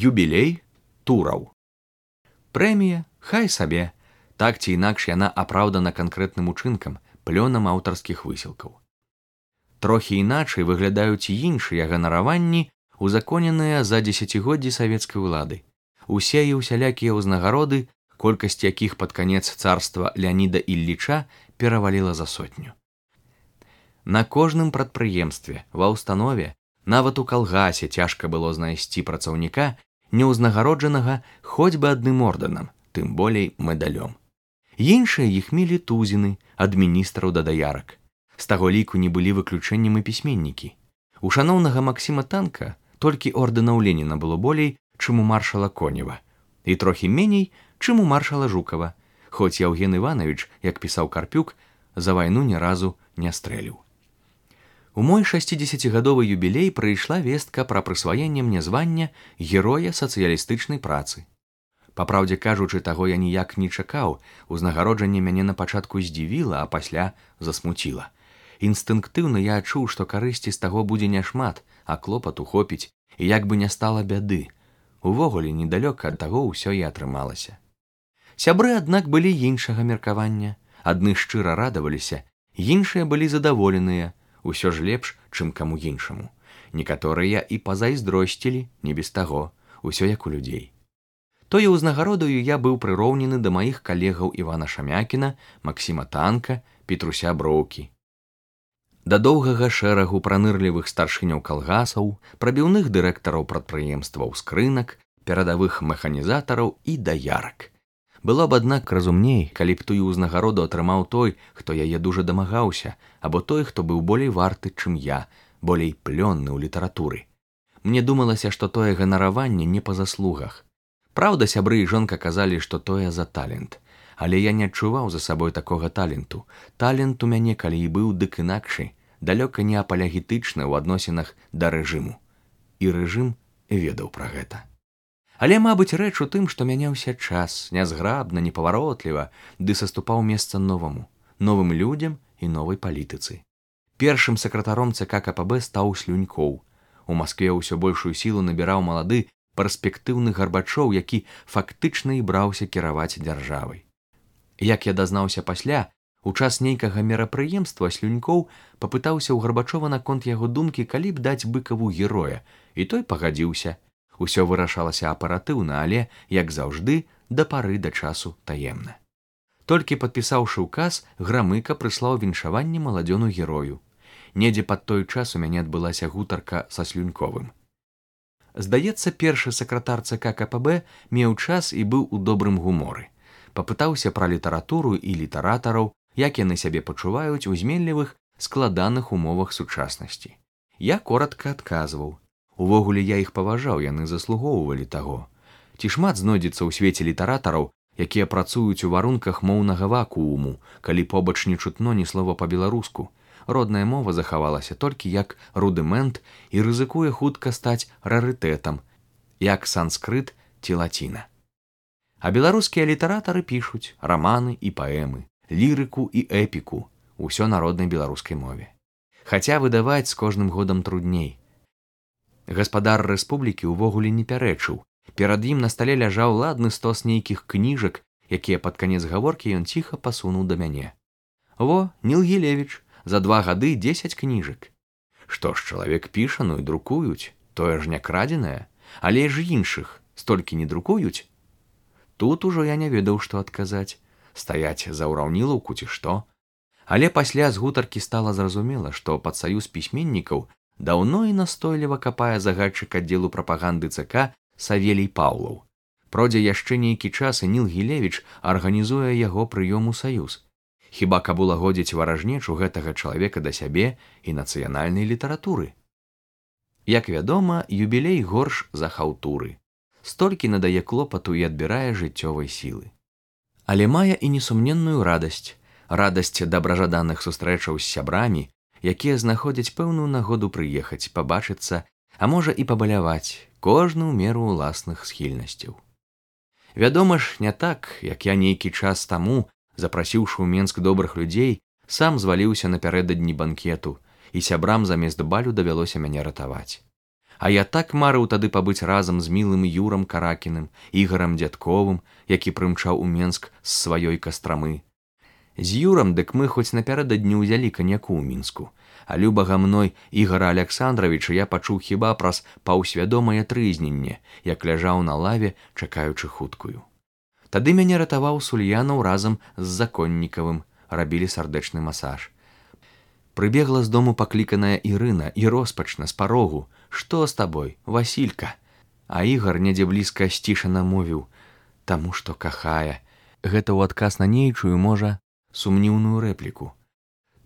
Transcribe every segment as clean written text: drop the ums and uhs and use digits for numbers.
Юбілей тураў. Прэмія, хай сабе, так ці інакш яна апраўдана канкрэтным учынкам, плёнам аўтарскіх высілкаў. Трохі іначай выглядаюць і іншыя ганараванні, узаконеныя за дзесяцігоддзі савецкай улады. Усе і ўсялякія ўзнагароды, колькасць якіх пад канец царства Леаніда Ілліча пераваліла за 100. На кожным прадпрыемстве, ва ўстанове, нават у калгасе цяжка было знайсці працаўніка, неўзнагароджанага хоць бы адным ордэнам, тым болей медалём. Іншыя іх мелі тузіны, ад міністраў да даярак. З таго ліку не былі выключэннем і пісьменнікі. У шаноўнага Максіма Танка толькі ордэнаў Леніна было болей, чым у маршала Конева, і трохі меней, чым у маршала Жукава, хоць Яўген Іванович, як пісаў Карпюк, за вайну ні разу не стрэліў. У мой 60-гадовы юбілей прыйшла вестка пра прысваенне мне звання Героя сацыялістычнай працы. Па праўдзе кажучы, таго я ніяк не чакаў, узнагароджанне мяне на пачатку здзівіла, а пасля засмуціла. Інстынктыўна я адчуў, што карысці з таго будзе няшмат, а клопату хопіць, і як бы не стала бяды. Увогуле, недалёка ад таго ўсё і атрымалася. Сябры, аднак, былі іншага меркавання. Адны шчыра радаваліся, іншыя былі задаволеныя, усё ж лепш, чым каму іншаму. Некаторыя і пазайздросцілі, не без таго, усё як у людзей. Тое ўзнагародаю я быў прыроўнены да маіх калегаў Івана Шамякіна, Максіма Танка, Петруся Броўкі. Да доўгага шэрагу пранырлівых старшыняў калгасаў, прабіўных дырэктараў прадпрыемстваў скрынак, перадавых механізатараў і даярак. Было б, аднак, разумней, калі б тую ўзнагароду атрымаў той, хто яе дужа дамагаўся, або той, хто быў болей варты, чым я, болей плённы ў літаратуры. Мне думалася, што тое ганараванне не па заслугах. Праўда, сябры і жонка казалі, што тое за талент. Але я не адчуваў за сабой такога таленту. Талент у мяне, калі і быў, дык інакшы, далёка не апалягетычны ў адносінах да рэжыму. І рэжым ведаў пра гэта. Але, мабыць, рэч у тым, што мяняўся час, нязграбна, непаваротліва, ды саступаў месца новаму, новым людзям і новай палітыцы. Першым сакратаром ЦК КПБ стаў Слюнькоў. У Маскве ўсё большую сілу набіраў малады, перспектыўны Гарбачоў, які фактычна і браўся кіраваць дзяржавай. Як я дазнаўся пасля, у час нейкага мерапрыемства Слюнькоў папытаўся ў Гарбачова наконт яго думкі, калі б даць Быкаву героя, і той пагадзіўся. Усё вырашалася аператыўна, але, як заўжды, да пары да часу таемна. Толькі падпісаўшы ўказ, Грамыка прыслаў віншаванне маладзёну герою. Недзе пад той час у мяне адбылася гутарка са Слюньковым. Здаецца, першы сакратар ЦК КПБ меў час і быў у добрым гуморы. Папытаўся пра літаратуру і літаратараў, як яны сябе пачуваюць у зменлівых, складаных умовах сучаснасці. Я коратка адказваў. Увогуле я іх паважаў, яны заслугоўвалі таго. Ці шмат знойдзецца ў свеце літаратараў, якія працуюць у варунках моўнага вакууму, калі побач не чутно ні слова па-беларуску. Родная мова захавалася толькі як рудымент і рызыкуе хутка стаць рарытэтам, як санскрыт ці лаціна. А беларускія літаратары пішуць раманы і паэмы, лірыку і эпіку, усё на роднай беларускай мове. Хаця выдаваць з кожным годам трудней. Гаспадар рэспублікі ўвогуле не пярэчыў. Перад ім на стале ляжаў ладны стос нейкіх кніжак, якія пад канец гаворкі ён ціха пасунуў да мяне. Во, Ніл Гілевіч, за 2 гады 10 кніжак. Што ж, чалавек піша, ну і друкуюць, тое ж не крадзенае, але ж іншых столькі не друкуюць. Тут ужо я не ведаў, што адказаць, стаяць за ўраўнілаўку ці што. Але пасля з гутаркі стала зразумела, што пад саюз пісьменнікаў даўно і настойліва капае загадчык аддзелу прапаганды ЦК Савелій Паўлаў. Пройдзе яшчэ нейкі час, і Ніл Гілевіч арганізуе яго прыём у саюз. Хіба каб улагодзіць варажнечу гэтага чалавека да сябе і нацыянальнай літаратуры. Як вядома, юбілей горш за хаўтуры. Столькі надае клопату і адбірае жыццёвай сілы. Але мае і несумненную радасць. Радасць дабражаданых сустрэчаў з сябрамі, якія знаходзяць пэўную нагоду прыехаць, пабачыцца, а можа і пабаляваць, кожны ў меру ўласных схільнасцяў. Вядома ж, не так, як я нейкі час таму, запрасіўшы ў Менск добрых людзей, сам зваліўся напярэдадні банкету, і сябрам замест балю давялося мяне ратаваць. А я так марыў тады пабыць разам з мілым Юрам Каракіным, Ігарам Дзядковым, які прымчаў у Менск з сваёй Кастрамы. З Юрам дык мы хоць напярэдадні ўзялі каньяку ў Мінску, а любага мной Ігара Аляксандравіча я пачуў хіба праз паўсвядомае трызненне, як ляжаў на лаве, чакаючы хуткую. Тады мяне ратаваў Сульянаў разам з Законнікавым, рабілі сардэчны масаж. Прыбегла з дому пакліканая Ірына і роспачна з парогу: «Што з табой, Васілька?» А Ігар недзе блізка сцішана мовіў: «Таму што кахае». Гэта ў адказ на нейчую, можа, сумніўную рэпліку.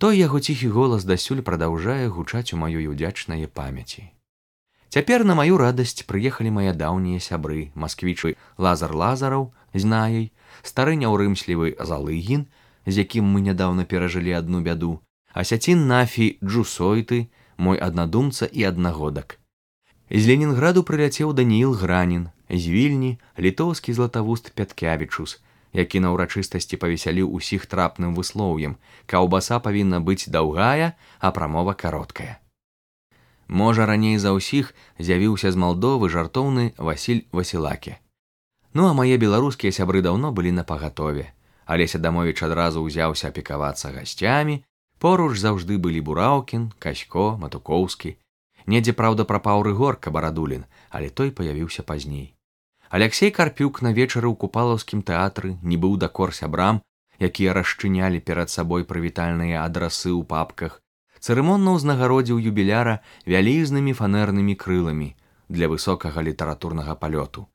Той яго ціхі голас дасюль прадаўжае гучаць у маёй удзячнае памяці. Цяпер на маю радасць прыехалі мае даўнія сябры, масквічы Лазар Лазараў з Наяй, стары няўрымслівы Залыгін, з якім мы нядаўна перажылі адну бяду, Асяцін Нафі Джусойты, мой аднадумца і аднагодак. З Ленінграду прыляцеў Данііл Гранін, з Вільні літоўскі златавуст Пяткявічус, які на ўрачыстасці павесяліў усіх трапным выслоўем: каўбаса павінна быць даўгая, а прамова кароткая. Можа, раней за ўсіх з'явіўся з Малдовы жартоўны Васіль Васілаке. Ну а мае беларускія сябры даўно былі на пагатове. Алеся Дамовіч адразу ўзяўся апекавацца гасцямі, поруч заўжды былі Бураўкін, Касько, Матукоўскі. Недзе, праўда, прапаў Рыгор Кабарадулін, але той паявіўся пазней. Аляксей Карпюк на вечары ў купалаўскім тэатры нібы ў дакор сябрам, якія расчынялі перад сабой прывітальныя адрасы ў папках, цырымонна ўзнагародзіў юбіляра вялізнымі фанернымі крыламі для высокага літаратурнага палёту.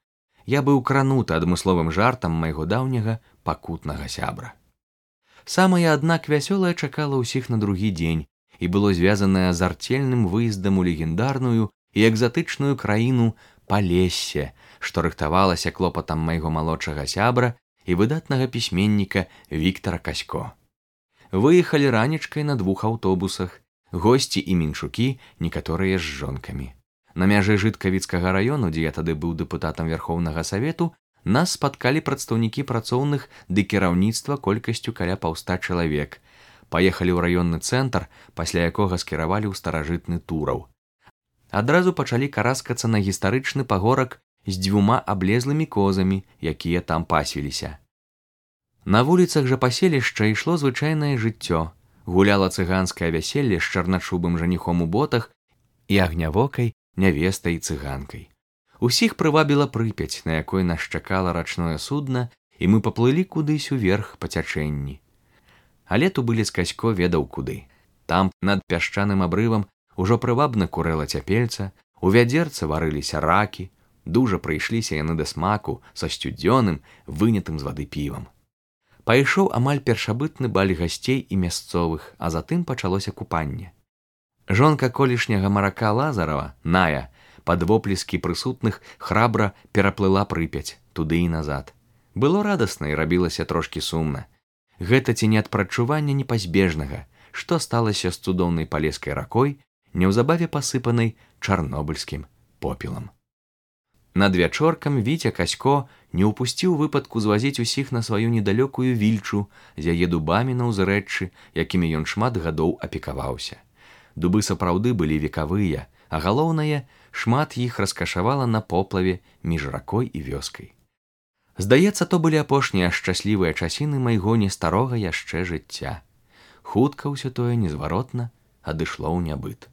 Я быў крануты адмысловым жартам майго даўняга пакутнага сябра. Самае, аднак, вясёлае чакала ўсіх на другі дзень і было звязанае з арцельным выездам у легендарную і экзатычную краіну Палессе, што рыхтавалася клопатам майго малодшага сябра і выдатнага пісьменніка Віктара Касько. Выехалі ранечкай на 2 аўтобусах, госці і мінчукі, некаторыя з жонкамі. На мяжы Жыткавіцкага раёну, дзе я тады быў дэпутатам Верхоўнага Савету, нас спаткалі прадстаўнікі працоўных ды кіраўніцтва колькасцю каля 500 чалавек. Паехалі ў раённы цэнтр, пасля якога скіравалі ў старажытны Тураў. Адразу пачалі караскацца на гістарычны пагорак з 2 аблезлымі козамі, якія там пасвіліся. На вуліцах жа паселішча ішло звычайнае жыццё. Гуляла цыганскае вяселле з чарначубым жаніхом у ботах і агнявокай нявестай цыганкай. Усіх прывабіла Прыпяць, на якой нас чакала рачное судна, і мы паплылі кудысь уверх па цячэнні. Але Тубылец Касько ведаў куды. Там, над пясчаным абрывам, ужо прывабна курэла цяпельца, у вядзерцы варыліся ракі, дужа прыйшліся яны да смаку са сцюдзёным, вынятым з вады півам. Пайшоў амаль першабытны баль гасцей і мясцовых, а затым пачалося купанне. Жонка колішняга марака Лазарава, Ная, пад воплескі прысутных храбра пераплыла Прыпяць туды і назад. Было радасна і рабілася трошкі сумна. Гэта ці не ад прадчування непазбежнага, што сталася з цудоўнай палескай ракой, неўзабаве пасыпанай чарнобыльскім попелам. Над вячоркам Віця Касько не ўпусціў выпадку звазіць усіх на сваю недалёкую Вільчу з яе дубамі на ўзрэччы, якімі ён шмат гадоў апекаваўся. Дубы сапраўды былі векавыя, а галоўнае, шмат іх раскашавала на поплаве між ракой і вёскай. Здаецца, то былі апошнія шчаслівыя часіны майго не старога яшчэ жыцця. Хутка ўсё тое незваротна адышло ў нябыт.